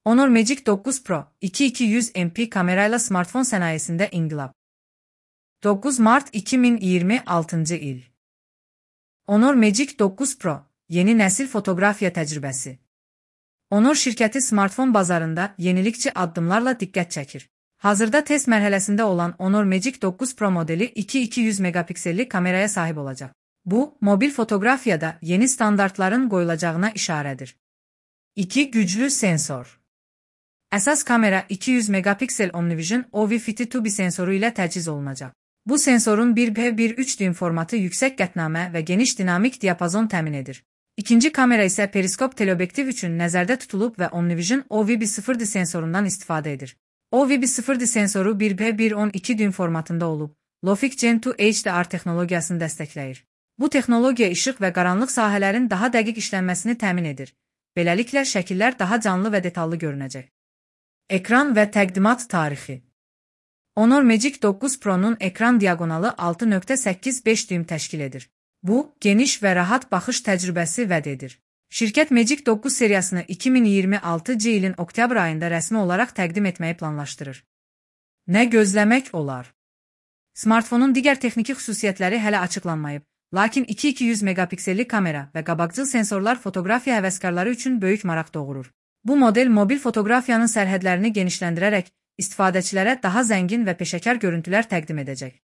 Honor Magic 9 Pro 2200 MP kamerayla smartfon sənayesində inqilab. 9 Mart 2026 il. Honor Magic 9 Pro yeni nəsil fotoqrafiya təcrübəsi. Honor şirkəti smartfon bazarında yenilikçi addımlarla diqqət çəkir. Hazırda test mərhələsində olan Honor Magic 9 Pro modeli 2200 megapikselli kameraya sahib olacaq. Bu, mobil fotoqrafiyada yeni standartların qoyulacağına işarədir. 2 güclü sensor. Əsas kamera 200 megapiksel Omnivision OV-52 sensoru ilə təchiz olunacaq. Bu sensorun 1.1.3 düym formatı yüksək qətnamə və geniş dinamik diapazon təmin edir. İkinci kamera isə periskop teleobyektiv üçün nəzərdə tutulub və Omnivision OV-1.0 sensorundan istifadə edir. OV-1.0 sensoru 1.1.12 düym formatında olub, Logic Gen 2 HDR texnologiyasını dəstəkləyir. Bu texnologiya işıq və qaranlıq sahələrin daha dəqiq işlənməsini təmin edir. Beləliklə, şəkillər daha canlı və detallı görünəcək. Ekran və təqdimat tarixi. Honor Magic 9 Pro'nun ekran diagonalı 6.85 düym təşkil edir. Bu, geniş və rahat baxış təcrübəsi vəd edir. Şirkət Magic 9 seriyasını 2026 ilin oktyabr ayında rəsmi olaraq təqdim etməyi planlaşdırır. Nə gözləmək olar? Smartfonun digər texniki xüsusiyyətləri hələ açıqlanmayıb, lakin 2200 megapikselli kamera və qabaqcıl sensorlar fotoqrafiya həvəskarları üçün böyük maraq doğurur. Bu model mobil fotoqrafiyanın sərhədlərini genişləndirərək istifadəçilərə daha zəngin və peşəkar görüntülər təqdim edəcək.